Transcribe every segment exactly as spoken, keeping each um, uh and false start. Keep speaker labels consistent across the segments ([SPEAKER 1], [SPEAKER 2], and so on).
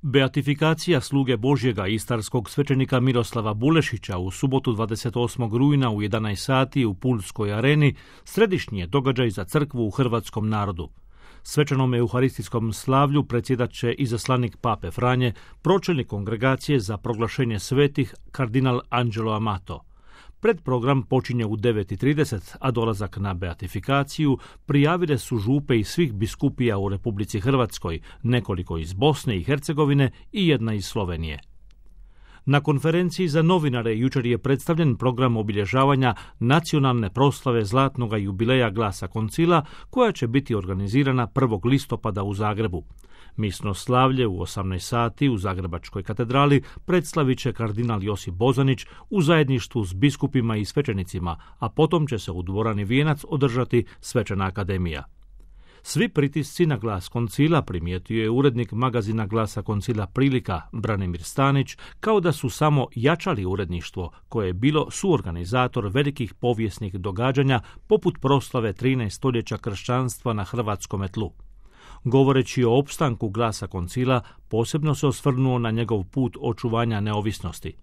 [SPEAKER 1] Beatifikacija sluge Božjega istarskog svećenika Miroslava Bulešića u subotu dvadeset osmog rujna u jedanaest sati u Pulskoj areni središnji je događaj za crkvu u hrvatskom narodu. Svečanom euharistijskom slavlju predsjedat će izaslanik Pape Franje, pročelnik kongregacije za proglašenje svetih kardinal Angelo Amato. Predprogram počinje u devet i trideset, a dolazak na beatifikaciju prijavile su župe iz svih biskupija u Republici Hrvatskoj, nekoliko iz Bosne i Hercegovine i jedna iz Slovenije. Na konferenciji za novinare jučer je predstavljen program obilježavanja nacionalne proslave zlatnog jubileja Glasa Koncila, koja će biti organizirana prvog listopada u Zagrebu. Misno slavlje u osamnaest sati u Zagrebačkoj katedrali predstavit će kardinal Josip Bozanić u zajedništvu s biskupima i svećenicima, a potom će se u dvorani Vijenac održati svečana akademija. Svi pritisci na Glas Koncila, primijetio je urednik magazina Glasa Koncila Prilika Branimir Stanić, kao da su samo jačali uredništvo koje je bilo suorganizator velikih povijesnih događanja poput proslave trinaest stoljeća kršćanstva na hrvatskome tlu. Govoreći o opstanku Glasa Koncila, posebno se osvrnuo na njegov put očuvanja neovisnosti.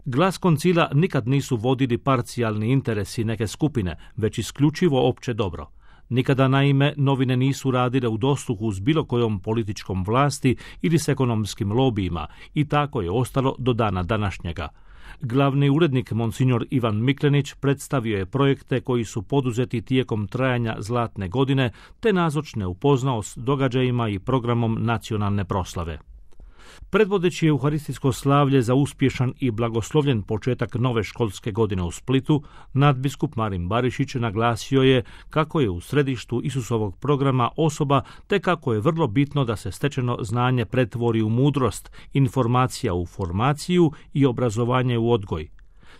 [SPEAKER 1] Glas Koncila nikad nisu vodili parcijalni interesi neke skupine, već isključivo opće dobro. Nikada, naime, novine nisu radile u dosluhu s bilo kojom političkom vlasti ili s ekonomskim lobijima i tako je ostalo do dana današnjega. Glavni urednik monsignor Ivan Miklenić predstavio je projekte koji su poduzeti tijekom trajanja Zlatne godine, te nazočne upoznao s događajima i programom nacionalne proslave. Predvodeći euharistijsko slavlje za uspješan i blagoslovljen početak nove školske godine u Splitu, nadbiskup Marin Barišić naglasio je kako je u središtu Isusovog programa osoba, te kako je vrlo bitno da se stečeno znanje pretvori u mudrost, informacija u formaciju i obrazovanje u odgoj.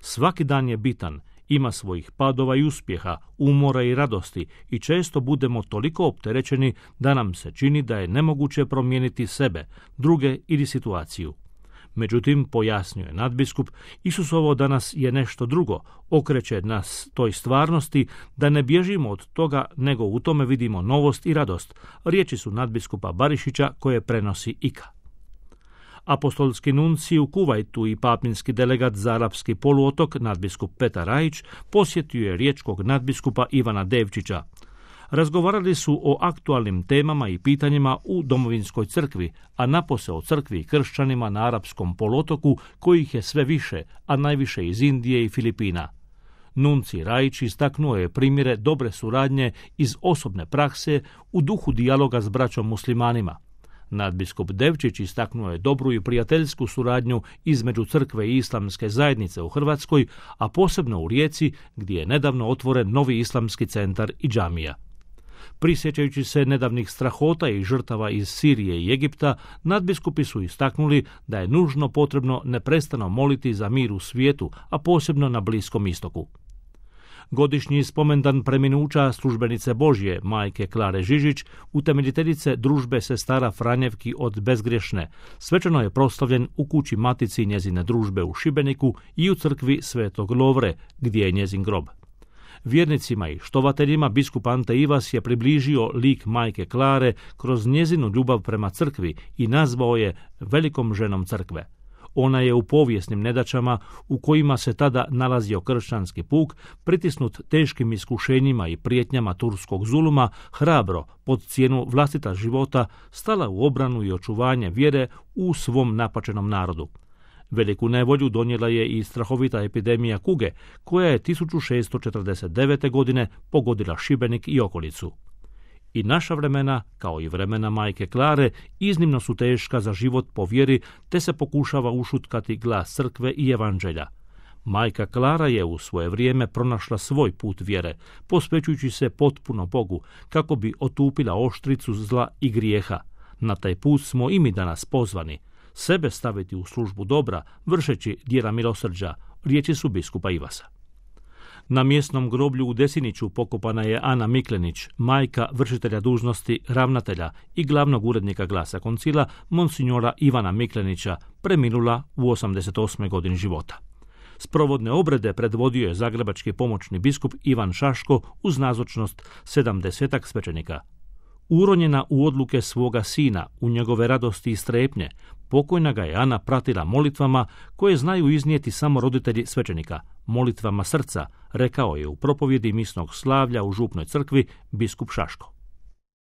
[SPEAKER 1] Svaki dan je bitan, ima svojih padova i uspjeha, umora i radosti i često budemo toliko opterećeni da nam se čini da je nemoguće promijeniti sebe, druge ili situaciju. Međutim, pojasnio je nadbiskup, Isusovo danas je nešto drugo, okreće nas toj stvarnosti da ne bježimo od toga, nego u tome vidimo novost i radost. Riječi su nadbiskupa Barišića koje prenosi I K A. Apostolski nuncij u Kuvajtu i papinski delegat za arapski poluotok, nadbiskup Petar Rajić, posjetio je riječkog nadbiskupa Ivana Devčića. Razgovarali su o aktualnim temama i pitanjima u domovinskoj crkvi, a napose o crkvi i kršćanima na arapskom poluotoku, kojih je sve više, a najviše iz Indije i Filipina. Nuncij Rajić istaknuo je primjere dobre suradnje iz osobne prakse u duhu dijaloga s braćom muslimanima. Nadbiskup Devčić istaknuo je dobru i prijateljsku suradnju između crkve i islamske zajednice u Hrvatskoj, a posebno u Rijeci, gdje je nedavno otvoren novi islamski centar i džamija. Prisjećajući se nedavnih strahota i žrtava iz Sirije i Egipta, nadbiskupi su istaknuli da je nužno potrebno neprestano moliti za mir u svijetu, a posebno na Bliskom istoku. Godišnji spomendan preminuća službenice Božje, majke Klare Žižić, utemeljiteljice družbe sestara Franjevki od Bezgrješne, svečano je proslavljen u kući matici njezine družbe u Šibeniku i u crkvi Svetog Lovre, gdje je njezin grob. Vjernicima i štovateljima biskup Ante Ivas je približio lik majke Klare kroz njezinu ljubav prema crkvi i nazvao je velikom ženom crkve. Ona je u povijesnim nedaćama u kojima se tada nalazio kršćanski puk, pritisnut teškim iskušenjima i prijetnjama turskog zuluma, hrabro, pod cijenu vlastita života, stala u obranu i očuvanje vjere u svom napačenom narodu. Veliku nevolju donijela je i strahovita epidemija kuge, koja je tisuću šeststo četrdeset devete. godine pogodila Šibenik i okolicu. I naša vremena, kao i vremena majke Klare, iznimno su teška za život po vjeri, te se pokušava ušutkati glas crkve i evanđelja. Majka Klara je u svoje vrijeme pronašla svoj put vjere, posvećujući se potpuno Bogu, kako bi otupila oštricu zla i grijeha. Na taj put smo i mi danas pozvani, sebe staviti u službu dobra, vršeći djela milosrđa, riječi su biskupa Ivasa. Na mjesnom groblju u Desiniću pokopana je Ana Miklenić, majka vršitelja dužnosti ravnatelja i glavnog urednika Glasa Koncila, monsignora Ivana Miklenića, preminula u osamdeset osmoj godini života. Sprovodne obrede predvodio je zagrebački pomoćni biskup Ivan Šaško uz nazočnost sedamdesetak svećenika. Uronjena u odluke svoga sina, u njegove radosti i strepnje, pokojna ga je Ana pratila molitvama koje znaju iznijeti samo roditelji svećenika, molitvama srca, rekao je u propovjedi misnog slavlja u župnoj crkvi biskup Šaško.